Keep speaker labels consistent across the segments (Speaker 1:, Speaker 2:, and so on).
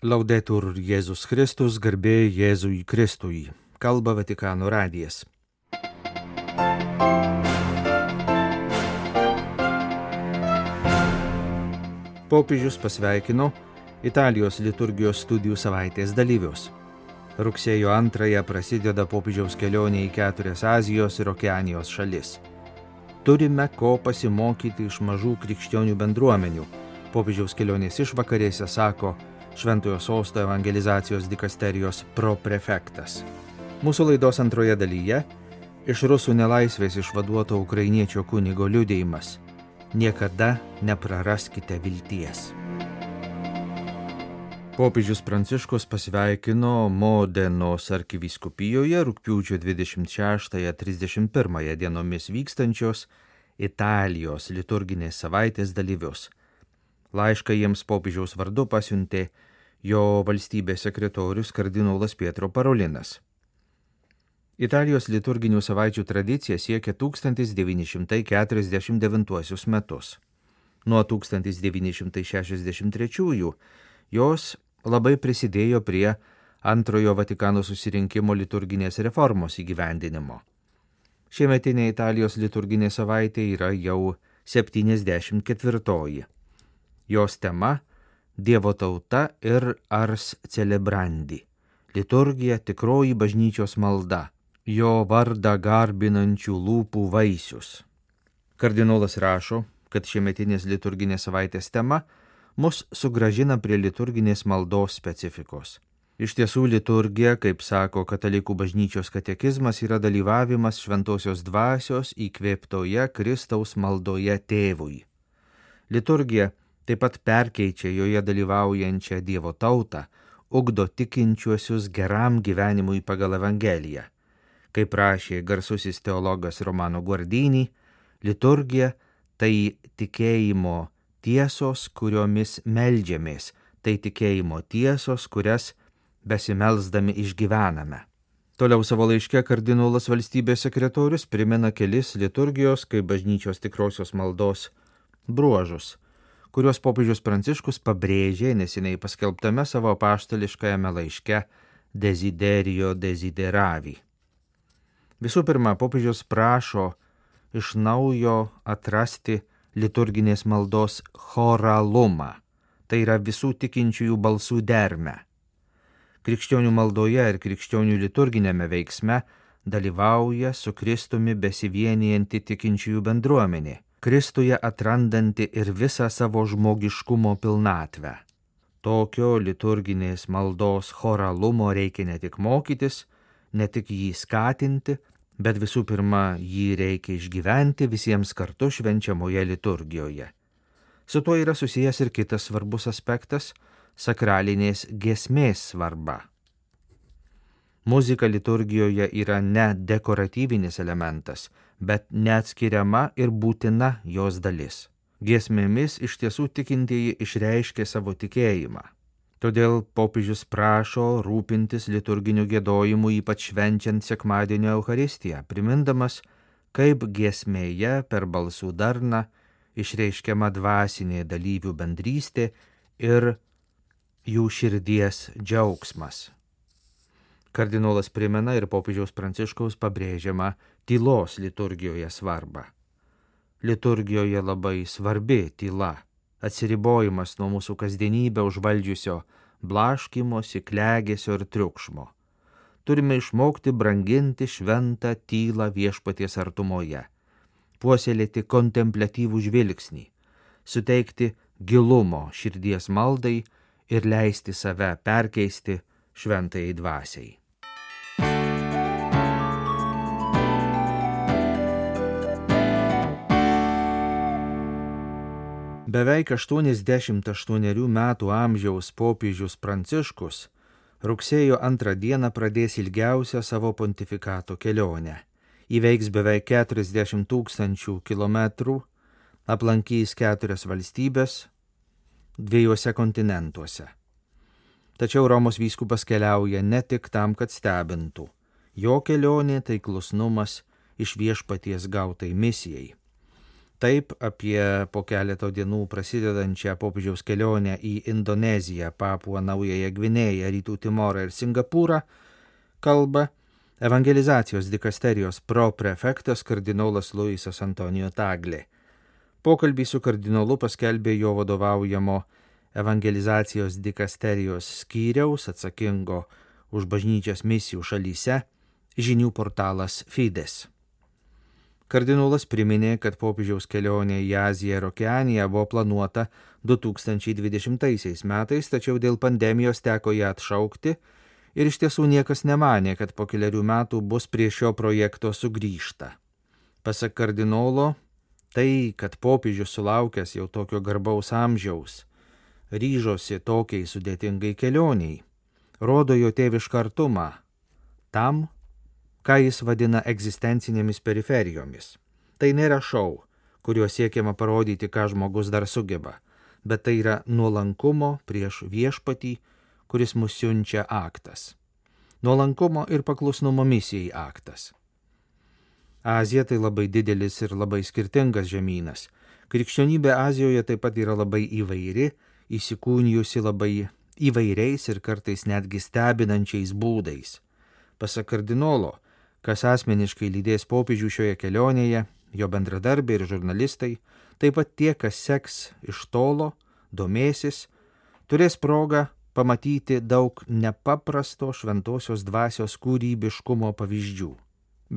Speaker 1: Laudetur Jėzus Kristus, garbė Jėzui Kristui. Kalba Vatikano radijas. Popiežius pasveikino Italijos liturgijos studijų savaitės dalyvius. Rugsėjo 2 prasideda popiežiaus kelionė į 4 Azijos ir Okeanijos šalis. Turime ko pasimokyti iš mažų krikščionių bendruomenių. Popiežiaus kelionės išvakarėse sako Šventojo Sosto evangelizacijos dikasterijos proprefektas. Mūsų laidos antroje dalyje iš rusų nelaisvės išvaduoto ukrainiečio kunigo liudijimas. Niekada nepraraskite vilties. Popiežius Pranciškus pasveikino Modenos arkivyskupijoje rugpjūčio 26-31 dienomis vykstančios Italijos liturginės savaitės dalyvius. Laišką jiems popiežiaus vardu pasiuntė jo valstybės sekretorius kardinolas Pietro Parolinas. Italijos liturginių savaičių tradicija siekia 1949 metus. Nuo 1963 jos labai prisidėjo prie Antrojo Vatikano susirinkimo liturginės reformos įgyvendinimo. Šiemetinė Italijos liturginė savaitė yra jau 74. Jos tema – Dievo tauta ir ars celebrandi. Liturgija tikroji bažnyčios malda, jo vardą garbinančių lūpų vaisius. Kardinolas rašo, kad šiemetinės liturginės savaitės tema mus sugrąžina prie liturginės maldos specifikos. Iš tiesų liturgija, kaip sako katalikų bažnyčios katekizmas, yra dalyvavimas šventosios dvasios įkvėptoje Kristaus maldoje tėvui. Liturgija taip pat perkeičia joje dalyvaujančią Dievo tautą, ugdo tikinčiuosius geram gyvenimui pagal Evangeliją. Kaip rašė garsusis teologas Romano Guardini, liturgija tai tikėjimo tiesos, kuriomis meldžiamės, tai tikėjimo tiesos, kurias besimelsdami išgyvename. Toliau savo laiške kardinolas valstybės sekretorius primena kelis liturgijos kaip bažnyčios tikrosios maldos bruožus, kuriuos popiežius Pranciškus pabrėžė neseniai paskelbtame savo apaštališkajame laiške Desiderio Desideravi. Visų pirma, popiežius prašo iš naujo atrasti liturginės maldos choralumą, tai yra visų tikinčiųjų balsų dermę. Krikščionių maldoje ir krikščionių liturginėme veiksme dalyvauja su Kristumi besivienijanti tikinčiųjų bendruomenė, Kristuje atrandanti ir visą savo žmogiškumo pilnatvę. Tokio liturginės maldos choralumo reikia ne tik mokytis, ne tik jį skatinti, bet visų pirma jį reikia išgyventi visiems kartu švenčiamoje liturgijoje. Su tuo yra susijęs ir kitas svarbus aspektas – sakralinės giesmės svarba. Muzika liturgijoje yra ne dekoratyvinis elementas, bet neatskiriama ir būtina jos dalis. Giesmėmis iš tiesų tikintieji išreiškia savo tikėjimą. Todėl popiežius prašo rūpintis liturginiu giedojimu, ypač švenčiant sekmadienio Eucharistiją, primindamas, kaip giesmėje per balsų darną išreiškiama dvasinė dalyvių bendrystė ir jų širdies džiaugsmas. Kardinolas primena ir popiežiaus Pranciškaus pabrėžiamą tylos liturgijoje svarbą. Liturgijoje labai svarbi tyla, atsiribojimas nuo mūsų kasdienybę užvaldžiusio blaškymosi, klegesio ir triukšmo. Turime išmokti branginti šventą tylą viešpaties artumoje, puoselėti kontempliatyvų žvilgsnį, suteikti gilumo širdies maldai ir leisti save perkeisti šventajai dvasiai. Beveik 88 metų amžiaus popiežius Pranciškus rugsėjo 2 dieną pradės ilgiausią savo pontifikato kelionę. Įveiks beveik 40 000 kilometrų, aplankys 4 valstybės 2 kontinentuose. Tačiau Romos vyskupas keliauja ne tik tam, kad stebintų. Jo kelionė tai klusnumas iš viešpaties gautai misijai. Taip apie po keleto dienų prasidedančią popiežiaus kelionę į Indoneziją, Papuą Naująją Gvinėją, Rytų Timorą ir Singapūrą kalba evangelizacijos dikasterijos proprefektas kardinolas Luisas Antonijo Taglė. Pokalbį su kardinolu paskelbė jo vadovaujamo evangelizacijos dikasterijos skyriaus atsakingo už bažnyčios misijų šalyse žinių portalas Fides. Kardinolas priminė, kad popiežiaus kelionė į Aziją ir Okeaniją buvo planuota 2020 metais, tačiau dėl pandemijos teko ją atšaukti ir iš tiesų niekas nemanė, kad po keliarių metų bus prie šio projekto sugrįžta. Pasak kardinolo, tai, kad popiežius sulaukęs jau tokio garbaus amžiaus ryžosi tokiai sudėtingai kelioniai, rodo jo tėvišką artumą tam, ką jis vadina egzistencinėmis periferijomis. Tai nėra šou, kuriuo siekiama parodyti, ką žmogus dar sugeba, bet tai yra nuolankumo prieš viešpatį, kuris mus siunčia aktas. Nuolankumo ir paklusnumo misijai aktas. Azija tai labai didelis ir labai skirtingas žemynas. Krikščionybė Azijoje taip pat yra labai įvairi, įsikūnijusi labai įvairiais ir kartais netgi stebinančiais būdais. Pasak kardinolo, kas asmeniškai lydės popiežių šioje kelionėje, jo bendradarbiai ir žurnalistai, taip pat tie, kas seks iš tolo, domėsis, turės progą pamatyti daug nepaprasto šventosios dvasios kūrybiškumo pavyzdžių.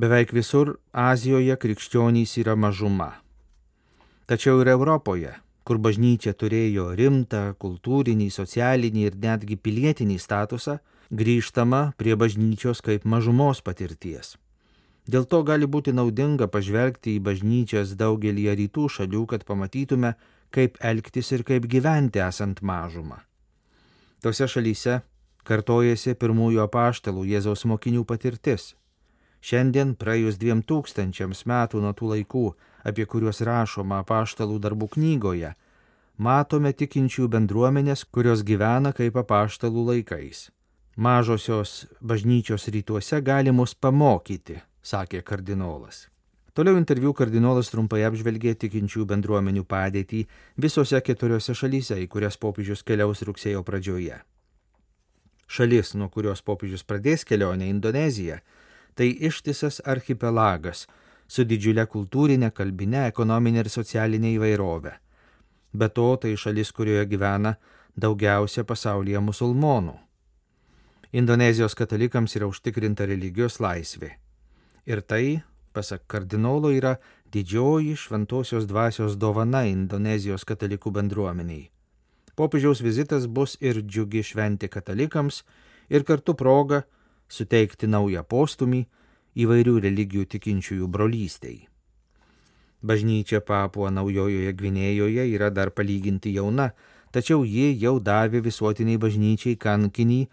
Speaker 1: Beveik visur Azijoje krikščionys yra mažuma. Tačiau ir Europoje, kur bažnyčia turėjo rimtą kultūrinį, socialinį ir netgi pilietinį statusą, grįžtama prie bažnyčios kaip mažumos patirties. Dėl to gali būti naudinga pažvelgti į bažnyčias daugelį rytų šalių, kad pamatytume, kaip elgtis ir kaip gyventi esant mažumą. Tose šalyse kartojasi pirmųjų apaštalų Jėzaus mokinių patirtis. Šiandien, praėjus 2000 metų nuo tų laikų, apie kuriuos rašoma apaštalų darbų knygoje, matome tikinčių bendruomenės, kurios gyvena kaip apaštalų laikais. Mažosios bažnyčios rytuose gali mus pamokyti, sakė kardinolas. Toliau interviu kardinolas trumpai apžvelgė tikinčių bendruomenių padėtį visose 4 šalyse, į kurias popiežius keliaus rugsėjo pradžioje. Šalis, nuo kurios popiežius pradės kelionę, Indonezija, tai ištisas archipelagas su didžiulė kultūrinė, kalbinė, ekonominė ir socialinė įvairovė. Be to, tai šalis, kurioje gyvena daugiausia pasaulyje musulmonų. Indonezijos katalikams yra užtikrinta religijos laisvė. Ir tai, pasak kardinolo, yra didžioji šventosios dvasios dovana Indonezijos katalikų bendruomeniai. Popiežiaus vizitas bus ir džiugi šventė katalikams ir kartu proga suteikti naują postumį įvairių religijų tikinčiųjų brolystei. Bažnyčia Papua Naujojoje Gvinėjoje yra dar palyginti jauna, tačiau ji jau davė visuotiniai bažnyčiai kankinį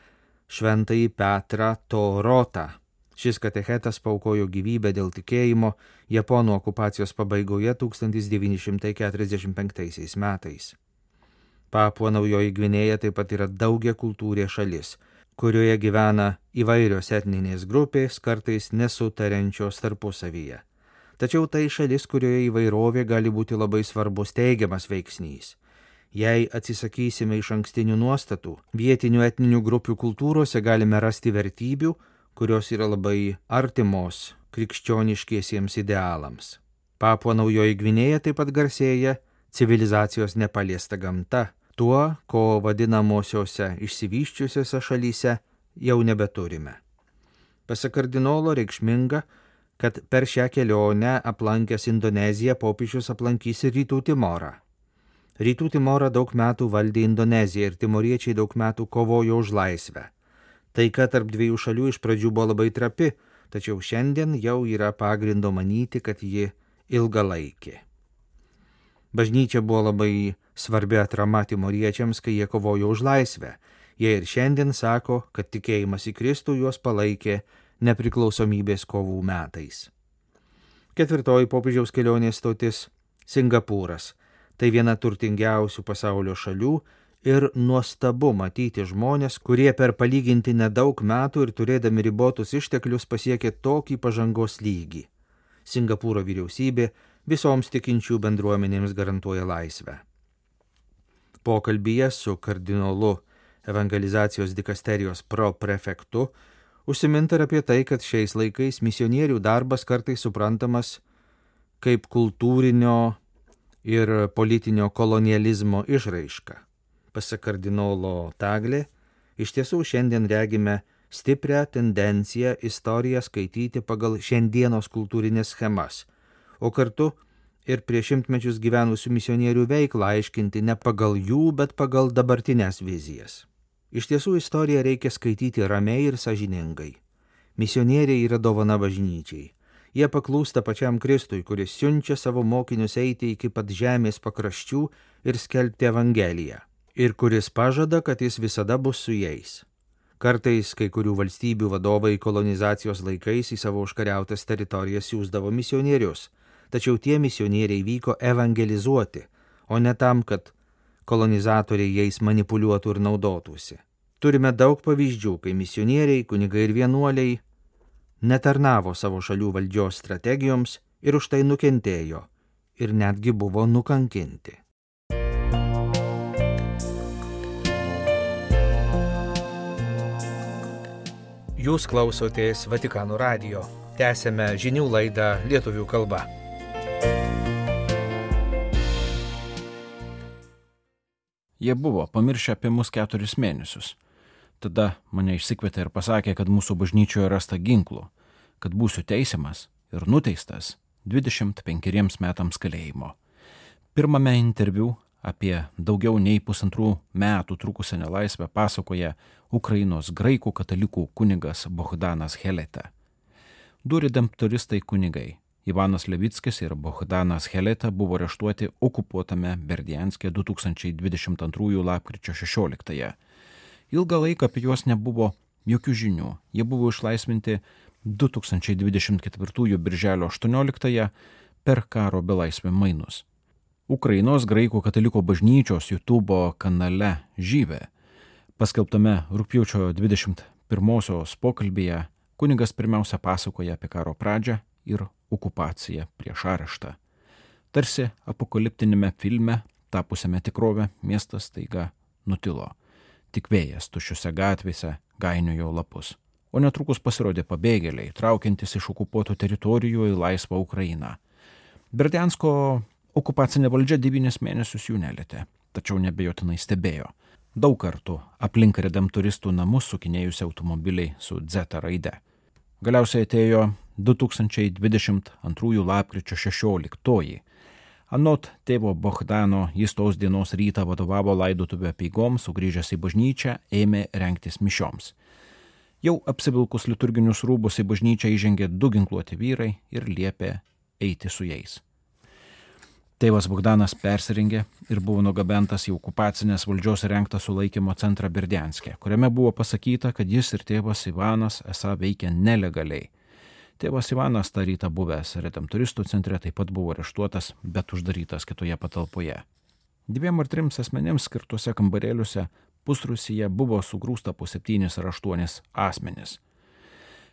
Speaker 1: Šventąjį Petrą Torotą. Šis katechetas paaukojo gyvybę dėl tikėjimo Japonų okupacijos pabaigoje 1945 metais. Papua Naujoji Gvinėja taip pat yra daugiakultūrė šalis, kurioje gyvena įvairios etninės grupės, kartais nesutariančios tarpusavyje. Tačiau tai šalis, kurioje įvairovė gali būti labai svarbus teigiamas veiksnys. Jei atsisakysime iš ankstinių nuostatų, vietinių etninių grupių kultūrose galime rasti vertybių, kurios yra labai artimos krikščioniškiesiems idealams. Papua Naujoji Gvinėja taip pat garsėja civilizacijos nepaliesta gamta, tuo, ko vadinamosiose išsivysčiusiose šalyse jau nebeturime. Pasak kardinolo reikšminga, kad per šią kelionę aplankęs Indoneziją popiežius aplankys ir Rytų Timorą. Rytų Timorą daug metų valdė Indonezija ir timoriečiai daug metų kovojo už laisvę. Taika tarp dviejų šalių iš pradžių buvo labai trapi, tačiau šiandien jau yra pagrindo manyti, kad ji ilgalaikė. Bažnyčia buvo labai svarbi atrama timoriečiams, kai jie kovojo už laisvę. Jie ir šiandien sako, kad tikėjimas į Kristų juos palaikė nepriklausomybės kovų metais. 4. popiežiaus kelionės stotis – Singapūras. Tai viena turtingiausių pasaulio šalių ir nuostabu matyti žmonės, kurie per palyginti nedaug metų ir turėdami ribotus išteklius pasiekė tokį pažangos lygį. Singapūro vyriausybė visoms tikinčių bendruomenėms garantuoja laisvę. Pokalbyje su kardinolu evangelizacijos dikasterijos proprefektu užsiminta ir apie tai, kad šiais laikais misionierių darbas kartais suprantamas kaip kultūrinio ir politinio kolonializmo išraiška. Pasak kardinolo Taglė, iš tiesų šiandien regime stiprią tendenciją istoriją skaityti pagal šiandienos kultūrinės schemas, o kartu ir prieš šimtmečius gyvenusių misionierių veiklą aiškinti ne pagal jų, bet pagal dabartinės vizijas. Iš tiesų istoriją reikia skaityti ramiai ir sąžiningai. Misionieriai yra dovana bažnyčiai. Jie paklūsta pačiam Kristui, kuris siunčia savo mokinius eiti iki pat žemės pakraščių ir skelbti Evangeliją, ir kuris pažada, kad jis visada bus su jais. Kartais kai kurių valstybių vadovai kolonizacijos laikais į savo užkariautas teritorijas siųsdavo misionierius, tačiau tie misionieriai vyko evangelizuoti, o ne tam, kad kolonizatoriai jais manipuliuotų ir naudotųsi. Turime daug pavyzdžių, kai misionieriai, kunigai ir vienuoliai netarnavo savo šalių valdžios strategijoms ir už tai nukentėjo ir netgi buvo nukankinti. Jūs klausotės Vatikano radijo. Tęsėme žinių laidą lietuvių kalba.
Speaker 2: Jie buvo pamiršę apie mus 4 mėnesius. Tada mane išsikvietė ir pasakė, kad mūsų bažnyčioje rasta ginklų, kad būsiu teisiamas ir nuteistas 25 metams kalėjimo. Pirmame interviu apie daugiau nei 1,5 metų trukusią nelaisvę pasakoja Ukrainos graikų katalikų kunigas Bohdanas Heleta. Du redemptoristai kunigai Ivanas Levickis ir Bohdanas Heleta buvo areštuoti okupuotame Berdianske 2022 lapkričio 16. Ilgą laiką apie juos nebuvo jokių žinių. Jie buvo išlaisvinti 2024 birželio 18 per karo belaisvę mainus. Ukrainos graikų kataliko bažnyčios YouTube kanale Žyvė paskelbtame rugpjūčio 21 pokalbyje kunigas pirmiausia pasakoja apie karo pradžią ir okupaciją prieš areštą. Tarsi apokaliptinėme filme, tapusiame tikrovę, miestas staiga nutilo. Tik vėjas tuščiose gatvėse gainiojo lapus. O netrukus pasirodė pabėgėliai, traukiantis iš okupuotų teritorijų į laisvą Ukrainą. Berdiansko okupacinė valdžia 9 mėnesius jų nelietė, tačiau nebejotinai stebėjo. Daug kartų aplink redemptoristų namus sukinėjusi automobiliai su Z raide. Galiausiai atėjo 2022 lapkričio 16. Anot tėvo Bohdano, jis tos dienos rytą vadovavo laidotuvių apeigoms, sugrįžęs į bažnyčią, ėmė rengtis mišioms. Jau apsivilkus liturginius rūbus į bažnyčią įžengė 2 ginkluoti vyrai ir liepė eiti su jais. Tėvas Bohdanas persirengė ir buvo nugabentas į okupacinės valdžios rengtą sulaikymo centrą Berdianske, kuriame buvo pasakyta, kad jis ir tėvas Ivanas esą veikia nelegaliai. Tėvas Ivanas tą rytą buvęs redemptoristų centre taip pat buvo areštuotas, bet uždarytas kitoje patalpoje. 2 ar 3 asmenėms skirtuose kambarėliuose pusrūsyje buvo sugrūsta po 7 ar 8 asmenis.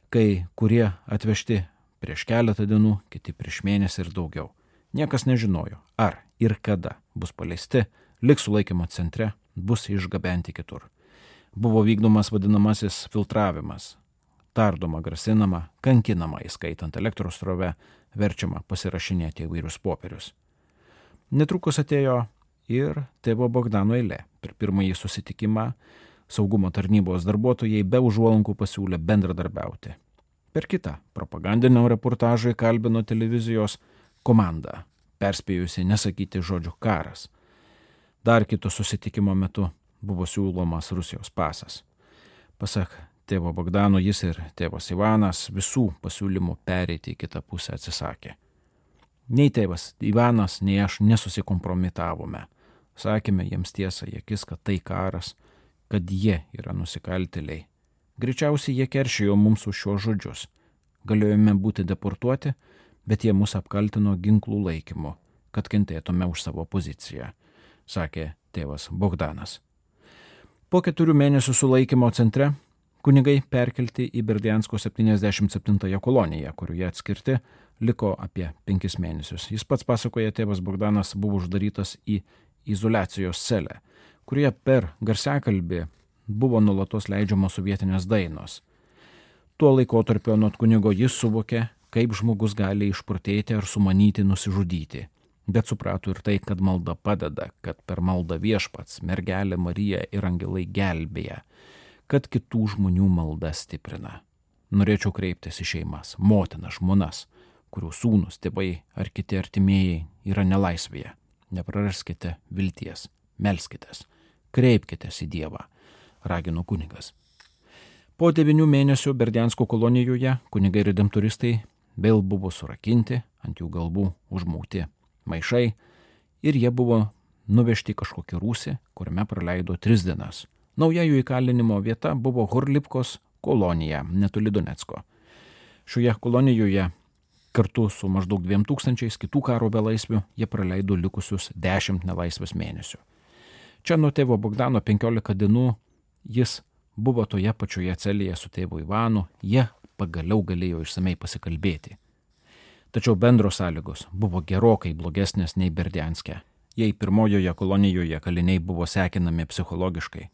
Speaker 2: Kai kurie atvežti prieš keletą dienų, kiti prieš mėnesį ir daugiau. Niekas nežinojo, ar ir kada bus paleisti, liks sulaikymo centre, bus išgabenti kitur. Buvo vykdomas vadinamasis filtravimas. Tardoma, grasinama, kankinama, įskaitant elektros srovę, verčiama pasirašinėti įvairius popierius. Netrukus atėjo ir tėvo Bohdano eilė. Per pirmąjį susitikimą saugumo tarnybos darbuotojai be užuolankų pasiūlė bendradarbiauti. Per kitą propagandinio reportažą įkalbino televizijos komanda, perspėjusi nesakyti žodžių karas. Dar kito susitikimo metu buvo siūlomas Rusijos pasas. Pasak tėvo Bohdano, jis ir tėvas Ivanas visų pasiūlymų pereiti į kitą pusę atsisakė. Nei tėvas Ivanas, nei aš nesusikompromitavome. Sakėme jiems tiesą į akis, kad tai karas, kad jie yra nusikaltėliai. Greičiausiai jie keršijo mums už šios žodžius. Galėjome būti deportuoti, bet jie mus apkaltino ginklų laikymu, kad kentėtume už savo poziciją, sakė tėvas Bohdanas. Po 4 mėnesių sulaikymo centre Kunigai perkelti į Berdiansko 77 koloniją, kurioje atskirti liko apie 5 mėnesius. Jis pats pasakoja, tėvas Bogdanas buvo uždarytas į izoliacijos celę, kurioje per garsiakalbį buvo nuolatos leidžiamos sovietinės dainos. Tuo laikotarpiu anot kunigo jis suvokė, kaip žmogus gali išprotėti ar sumanyti nusižudyti. Bet suprato ir tai, kad malda padeda, kad per maldą Viešpats, mergelė Marija ir angelai gelbėja, kad kitų žmonių malda stiprina. Norėčiau kreiptis į šeimas, motinas, žmonas, kurių sūnus, tėvai ar kiti artimieji yra nelaisvėje. Nepraraskite vilties, melskitės, kreipkitės į Dievą, ragino kunigas. Po 9 mėnesių Berdiansko kolonijoje kunigai redemptoristai vėl buvo surakinti, ant jų galvų užmauti maišai ir jie buvo nuvežti kažkokį rūsį, kuriame praleido 3 dienas. Nauja jų įkalinimo vieta buvo Horlivkos kolonija, netoli Donecko. Šioje kolonijoje kartu su maždaug 2000 kitų karo belaisvių jie praleido likusius 10 nelaisvės mėnesių. Čia nuo tėvo Bogdano 15 dienų jis buvo toje pačioje celėje su tėvu Ivanu, jie pagaliau galėjo išsamei pasikalbėti. Tačiau bendros sąlygos buvo gerokai blogesnės nei Berdianske. Jei pirmojoje kolonijoje kaliniai buvo sekinami psichologiškai,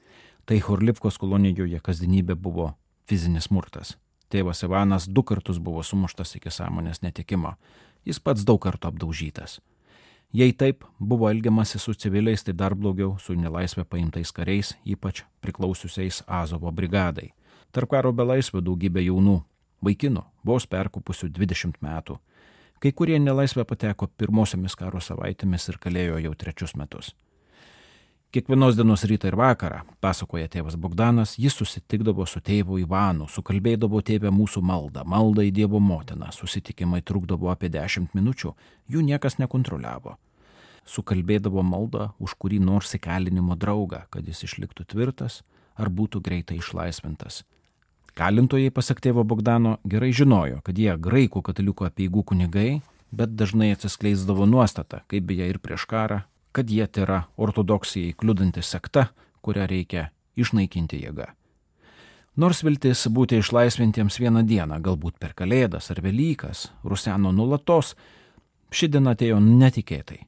Speaker 2: tai Horlivkos kolonijoje kasdienybė buvo fizinis smurtas. Tėvas Ivanas 2 kartus buvo sumuštas iki sąmonės netekimo. Jis pats daug kartų apdaužytas. Jei taip buvo elgiamasi su civiliais, tai dar blogiau su nelaisvę paimtais kariais, ypač priklausiusiais Azovo brigadai. Tarp karo belaisvių daugybė jaunų vaikinų, vos perkopusių 20 metų. Kai kurie nelaisvę pateko pirmosiomis karo savaitėmis ir kalėjo jau 3 metus. Kiekvienos dienos rytą ir vakarą, pasakoja tėvas Bogdanas, jis susitikdavo su tėvu Ivanu, sukalbėdavo tėvę mūsų maldą į Dievo motiną, susitikimai trukdavo apie 10 minučių, jų niekas nekontroliavo. Sukalbėdavo maldą už kurį nors įkalinimo draugą, kad jis išliktų tvirtas ar būtų greitai išlaisvintas. Kalintojai, pasak tėvo Bogdano, gerai žinojo, kad jie graikų katalikų apeigų kunigai, bet dažnai atsiskleisdavo nuostata, kaip beje ir prieš karą, kad jie yra ortodoksijai kliudanti sekta, kurią reikia išnaikinti jėga. Nors viltis būti išlaisvintiems vieną dieną, galbūt per Kalėdas ar Velykas, ruseno nulatos, ši diena atėjo netikėtai.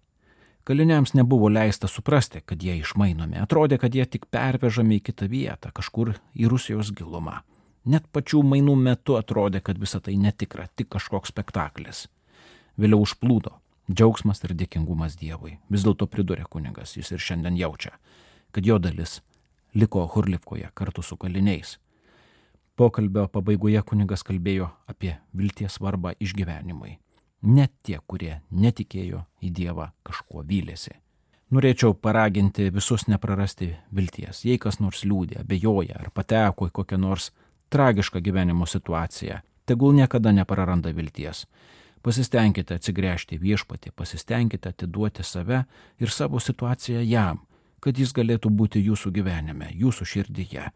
Speaker 2: Kaliniams nebuvo leista suprasti, kad jie išmainomi, atrodė, kad jie tik pervežami į kitą vietą, kažkur į Rusijos gilumą. Net pačių mainų metu atrodė, kad visa tai netikra, tik kažkoks spektaklis. Vėliau užplūdo džiaugsmas ir dėkingumas Dievui. Vis dėlto pridūrė kunigas, jis ir šiandien jaučia, kad jo dalis liko Horlivkoje kartu su kaliniais. Pokalbio pabaigoje kunigas kalbėjo apie vilties svarbą išgyvenimui. Net tie, kurie netikėjo į Dievą, kažkuo vylėsi. Norėčiau paraginti visus neprarasti vilties. Jei kas nors liūdė, abejoja ar pateko į kokią nors tragišką gyvenimo situaciją, tegul niekada nepraranda vilties. Pasistengkite atsigręžti Viešpatį, pasistengkite atiduoti save ir savo situaciją jam, kad jis galėtų būti jūsų gyvenime, jūsų širdyje.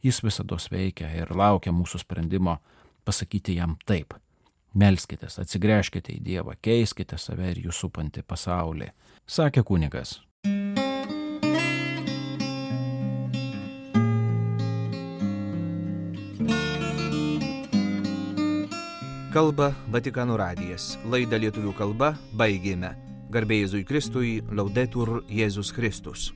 Speaker 2: Jis visados veikia ir laukia mūsų sprendimo pasakyti jam taip. Melskitės, atsigręžkite į Dievą, keiskite save ir jūs supantį pasaulį, sakė kunigas.
Speaker 1: Kalba Vatikano radijas. Laidą lietuvių kalba baigėme. Garbė Jėzui Kristui, Laudetur Jėzus Kristus.